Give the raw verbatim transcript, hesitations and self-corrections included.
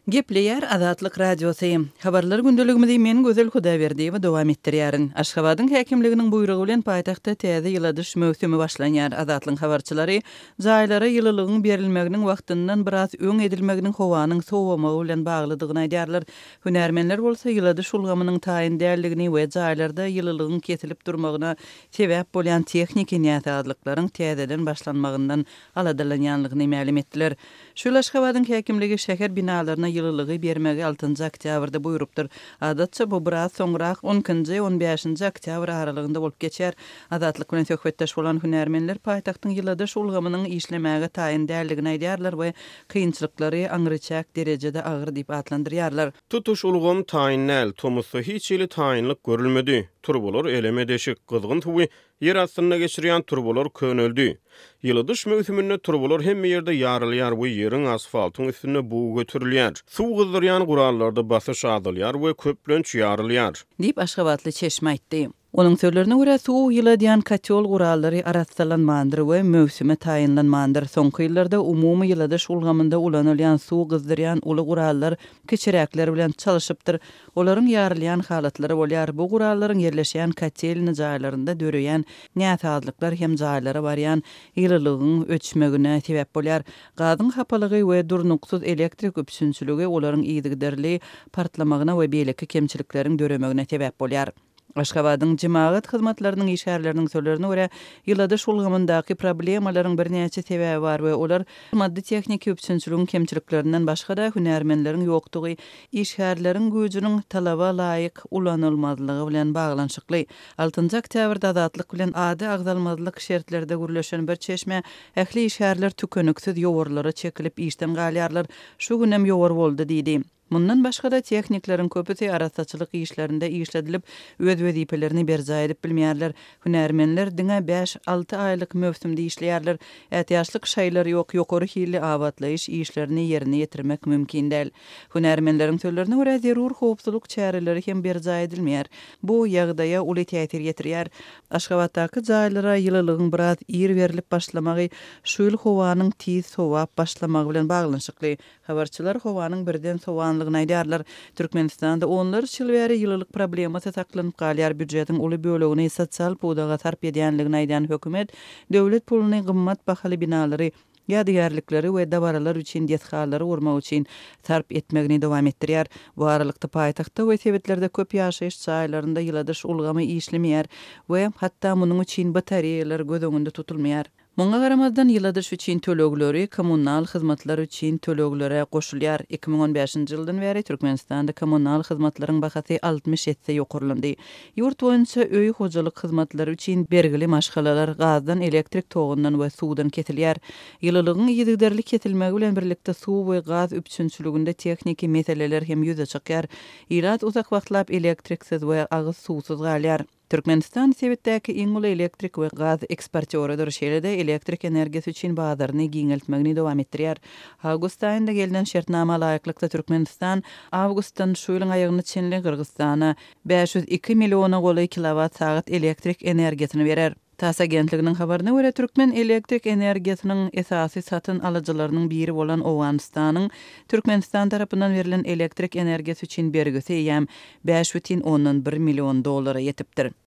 Gepleýär Azatlyk Radiosy. Habarlar gündeligimizi men Gözel Hudaýberdiýewa dowam etdirýärin. Aşgabadyň häkimliginiň buýrugy bilen paýtagtda täze ýyladyş möwsümi başlanýar. Azatlygyň habarçylary jaýlara ýylylygyň berilmeginiň wagtyndan biraz öň edilmeginiň howanyň sowamagy bilen baglydygyny aýdýarlar. Hünärmenler bolsa ýyladyş ulgamynyň taýyn däldigini we jaýlarda ýylylygyň kesilip durmagyna sebäp bolýan tehniki näsazlyklaryň täzeden başlanmagyndan aladalanýanlygyny mälim etdiler. Şu ýyl Aşgabadyň häkimligi şäher binalaryna ýylylygy bermegi altynjy oktýabrda buýrupdyr. Adatça bu biraz soňrak on ikinji, on bäşinji oktýabr aralygynda bolup geçýär. Azatlyk bilen söhbetdeş bolan hünärmenler paýtagtyň ýyladyş ulgamynyň işlemäge taýyn däldigini aýdýarlar we kynçylyklary aňryçäk derejede agyr diýip atlandyrýarlar. Tutuş ulgam taýyn däl, tomusda hiç hili taýynlyk görülmedi. Turbalar eleme deşik, gyzgyn suwy ýer astynda geçirýän turbalar köneldi. Ýyladyş möwsüminde turbalar hemme ýerde ýarylýar we ýeriň asfaltyň üstünde bug göterilýär. Suw gyzdyrýan gurallarda basyş azalýar we köplenç ýarylýar. Diýip, aşgabatly çeşme aýtdy. Onuň sözlerine görä, suw ýyladýan kotýol gurallary arassalanmandyr we möwsüme taýynlanmandyr. Soňky ýyllarda umumy ýyladyş ulgamynda ulanylýan suw gyzdyrýan uly gurallar kiçiräkler bilen çalşypdyr. Olaryň ýarylýan halatlary bolýar. Bu gurallaryň ýerleşýän kotelny jaýlarynda döreýän näsazlyklar hem jaýlara barýan ýylylygyň öçmegine sebäp bolýar. Gazyň hapalygy we durnuksyz elektrik üpjünçiligi olaryň yzygiderli partlamagyna we beýleki kemçilikleriň döremegine sebäp bolýar. Aşgabadyň jemagat hyzmatlarynyň işgärleriniň sözlerine görä, ýyladyş ulgamyndaky problemalaryň birnäçe sebäbi bar we olar maddy-tehniki üpjünçiligiň kemçiliklerinden başga-da hünärmenleriň ýokdugy, işgärleriň güýjüniň talaba laýyk ulanylmazlygy bilen baglanyşykly. Altynjy oktýabrda Azatlyk bilen ady agzalmazlyk şertlerde gürleşen bir çeşme ähli işgärler tükeniksiz ýowarlara çekilip işden galýarlar, şu günem ýowar boldy diýdi. Mundan başga-da tehnikleriň köpüsi arassaçylyk işlerinde işledilip, öz wezipelerini berjaý edip bilmeýärler. Hünärmenler diňe bäş-alty aýlyk möwsümde işleýärler. Ätiýaçlyk şaýlary ýok, ýokary hilli abatlaýyş işlerini ýerine ýetirmek mümkin däl. Hünärmenleriň sözlerine görä, zerur howpsuzlyk çäreleri hem berjaý edilmeýär. Bu ýagdaýa uly täsir ýetirýär. Aşgabatdaky jaýlara ýylylygyň biraz ir berlip başlamagy şu ýyl howanyň tiz sowap başlamagy bilen baglanyşykly. Habarçylar howanyň birden sowanlygyny aýdýarlar. Türkmenistanda onlarça ýyl bäri ýylylyk problemasy saklanyp galýar. Býujetiň uly bölegini sosial pudaga sarp edýänligini aýdýan hökümet döwlet puluny gymmat bahaly binalary, ýadygärlikleri we dabaralar üçin desgalary gurmak üçin sarp etmegini dowam etdirýär. Bu aralykda paýtagtda we sebitlerde köp ýaşaýyş jaýlarynda ýyladyş ulgamy işlemeýär we hatda munuň üçin batareýalar göz öňünde tutulmaýar. Muňa garamazdan ýyladyş üçin tölegleri kommunal hyzmatlar üçin töleglere goşulýar. Iki müň on bäşinji ýyldan bäri Türkmenistanda kommunal hyzmatlaryň bahasy altmyş esse ýokarlandy. Ýurt boýunça öý hojalyk hyzmatlary üçin bergili maşgalalar gazdan, elektrik togundan we suwdan kesilýär. Ýylylygyň yzygiderli kesilmegi bilen birlikde suw we gaz üpjünçiliginde tehniki meseleler hem ýüze çykýar. Ilat uzak wagtlap elektriksiz we agyz suwsuz galýar. Türkmenistan sebitdäki iň uly elektrik we gaz eksportýorydyr, şeýle-de elektrik energiýasy üçin bazaryny giňeltmegini dowam etdirýär. Awgust aýynda gelnen şertnama laýyklykda Türkmenistan awgustdan şu ýylyň aýagyna çenli Gyrgyzystana bäş ýüz iki milliona golaý kilowat sagat elektrik energiýasyny berer. TASS agentliginiň habaryna görä, türkmen elektrik energiýasynyň esasy satyn alyjylarynyň biri bolan Owganystanyň Türkmenistan tarapyndan berlen elektrik energiýasy üçin bergisi eýýäm bäş bütin ondan bir million dollara ýetipdir.